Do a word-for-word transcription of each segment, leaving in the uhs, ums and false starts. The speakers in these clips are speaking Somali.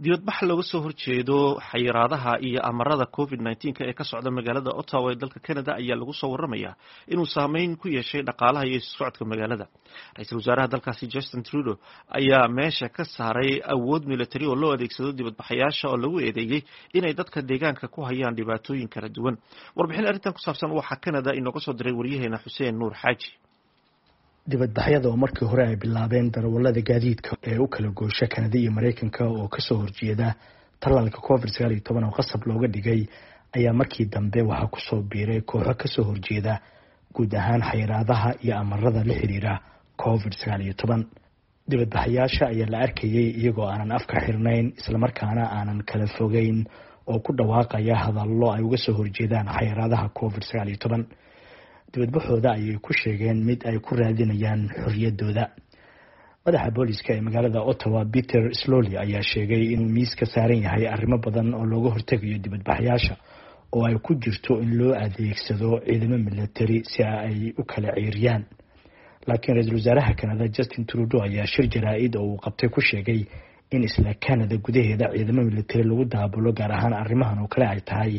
Dibadbax looga soo horjeedo xayiraadaha iyo amarada covid nineteen-ka ee ka socda magaalada Ottawa ee dalka Canada ayaa lagu soo waramayaa inuu saameyn ku yeeshay dhaqaalaha iyo isu socodka magaalada. Ra-iisul wasaaraha dalkaasi Justin Trudeau ayaa meesha ka saaray awood military oo loo adeegsado dibadbaxayaasha oo lagu eedeeyey inay dadka deegaanka ku hayaan dhibaatooyin kala duwan. Warbixin arrintan ku saabsan waxaa Canada inooga soo diray waryaheena Xuseen Nuur Xaaji. Dibadbaxyada oo markii hore ay bilaabeen darawalada gaadiidka ee u kala goosha Kanada iyo Mareykanka oo kasoo horjeeda tallaalka covid sagaal iyo toban oo qasab looga dhigay ayaa markii dambe waxaa kusoo biiray kooxo kasoo horjeeda guud ahaan xayiraadaha iyo amarada la xiriira covid sagaal iyo toban. Dibadbaxayaasha ayaa la arkayay iyagoo aanan afka xirnayn, islamarkaana aanan kala fogeyn, oo ku dhawaaqaya hadallo ay uga soo horjeedaan xayiraadaha covid sagaal iyo toban. Dibadbaxooda ayay ku sheegeen mid ay ku raadinayaan xorriyaddooda. Madaxa booliska ee magaalada Ottawa, Peter Sloly, ayaa sheegay inuu miiska saaran yahay arrimo badan oo looga hortegayo dibadbaxyaasha, oo ay ku jirto in loo adeegsado ciidamo military si ay u kala ceeriyaan. Laakiin ra-iisul wasaaraha Canada Justin Trudeau ayaa shir jaraa-id oo uu qabtay ku sheegay in isla Canada gudaheeda ciidamo military lagu daabulo, gaar ahaan arrimahan oo kale, ay tahay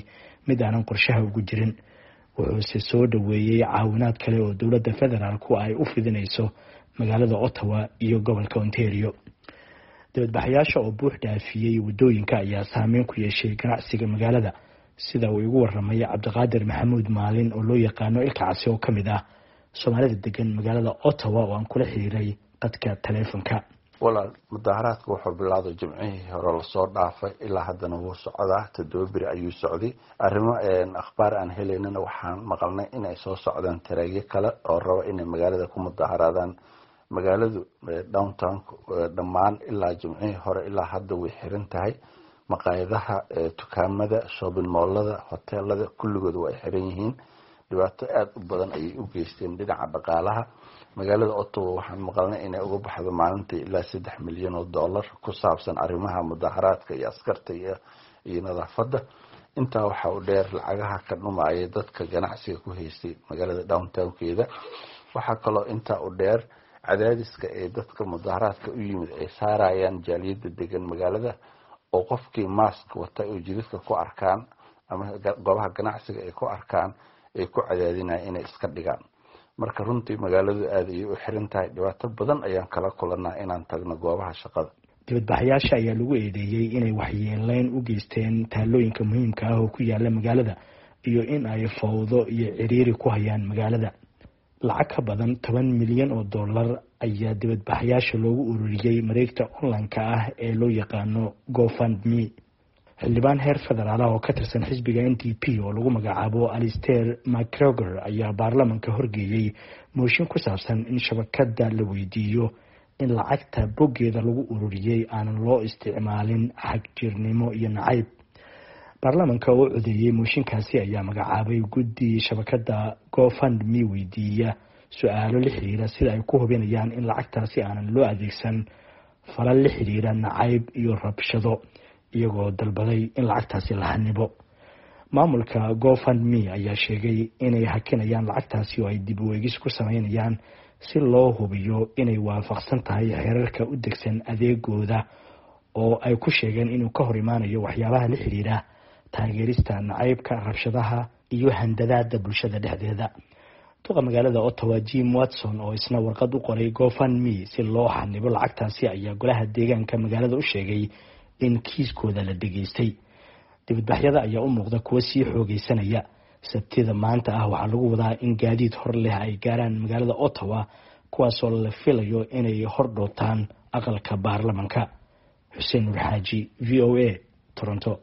mid aanan qorshaha ugu jirin. Wuxuuse soo dhaweeyey caawinaad kale oo dowladda federaalku ay u fidinayso magaalada Ottawa iyo gobolka Ontario. Dibadbaxayaasha oo buux dhaafiyey waddooyinka ayaa saameyn ku yeeshay ganacsiga magaalada, sida uu igu waramay Cabdiqaadir Maxamuud Maalin oo loo yaqaano Ilka Casi, oo ka mid ah Soomaalida degan magaalada Ottawa, oo aan kula xiriiray qadka taleefonka. Walaal, mudaharaadka wuxuu bilowday Jimcihii hore lasoo dhaafay, ilaa haddana wuu socdaa. Toddoba beri ayuu socday. Arrimo akhbaar aan helaynana waxaan maqalnay inay soo socdaan tareegyo kale oo raba inay magaalada ku mudaharaadaan. Magaaladu downtown dhammaan ilaa Jimcihii hore ilaa hadda way xiran tahay. Maqaayadaha, dukaamada, shopping mallada, hoteelada, kulligood waa ay xiran yihiin. Dhibaato aada u badan ayay u geysteen dhinaca dhaqaalaha magaalada Ottawa. Waxaan maqalnay inay uga baxdo maalintii ilaa saddex milyan oo dollar ku saabsan arrimaha mudaharaadka iyo askarta iyo iyo nadaafadda. Intaa waxaa u dheer lacagaha ka dhumaya dadka ganacsiga ku haystay magaalada downtownkeeda. Waxaa kaloo intaa u dheer cadaadiska ee dadka mudaharaadka u yimid ay saarayaan jaaliyadda degan magaalada, oo qofkii mask wata oo jidadka ku arkaan ama goobaha ganacsiga ay ku arkaan ay ku cadaadinayan inay iska dhigaan. Marka runtii magaaladu aada ayay u xiran tahay. Dhibaato badan ayaan kala kulanaa inaan tagno goobaha shaqada. Dibadbaxayaasha ayaa lagu eedeeyey inay waxyeeleyn u geysteen taalooyinka muhiimka ah oo ku yaala magaalada iyo in ay fawdo iyo ciriiri ku hayaan magaalada. Lacag ka badan toban milyan oo dollar ayaa dibadbaxayaasha loogu ururiyey mareegta online-ka ah ee loo yaqaano GoFundMe. Xildhibaan heer federaal ah oo ka tirsan xisbiga N D P oo lagu magacaabo Alistair MacGregor ayaa baarlamanka horgeeyey mooshin ku saabsan in shabakada la weydiiyo in lacagta boggeeda lagu ururiyey aanan loo isticmaalin xagjirnimo iyo nacayb. Baarlamanka oo codeeyey mooshinkaasi ayaa magacaabay guddi shabakada GoFundMe weydiiya su-aalo la xiriira sida ay ku hubinayaan in lacagtaasi aanan loo adeegsan falal la xiriira nacayb iyo rabshado, iyagoo dalbaday in lacagtaasi la xanibo. Maamulka GoFundMe ayaa sheegay inay hakinayaan lacagtaasi oo ay dib u eegis ku sameynayaan si loo hubiyo inay waafaqsan tahay xeerarka u degsan adeegooda, oo ay ku sheegeen inuu ka hor imaanayo waxyaabaha la xiriira taageerista nacaybka, rabshadaha iyo handadaada bulshada dhexdeeda. Duqa magaalada Ottawa, Jim Watson, oo isna warqad u qoray GoFundMe si loo xanibo lacagtaasi, ayaa golaha deegaanka magaalada u sheegay in kiiskooda la dhageystay. Dibadbaxyada ayaa u muuqda kuwo sii xoogeysanaya. Sabtida maanta ah waxaa lagu wadaa in gaadiid hor leh ay gaaraan magaalada Ottawa, kuwaasoo la filayo inay hor dhootaan aqalka baarlamanka. Xuseen Nur Xaaji, V O A, Toronto.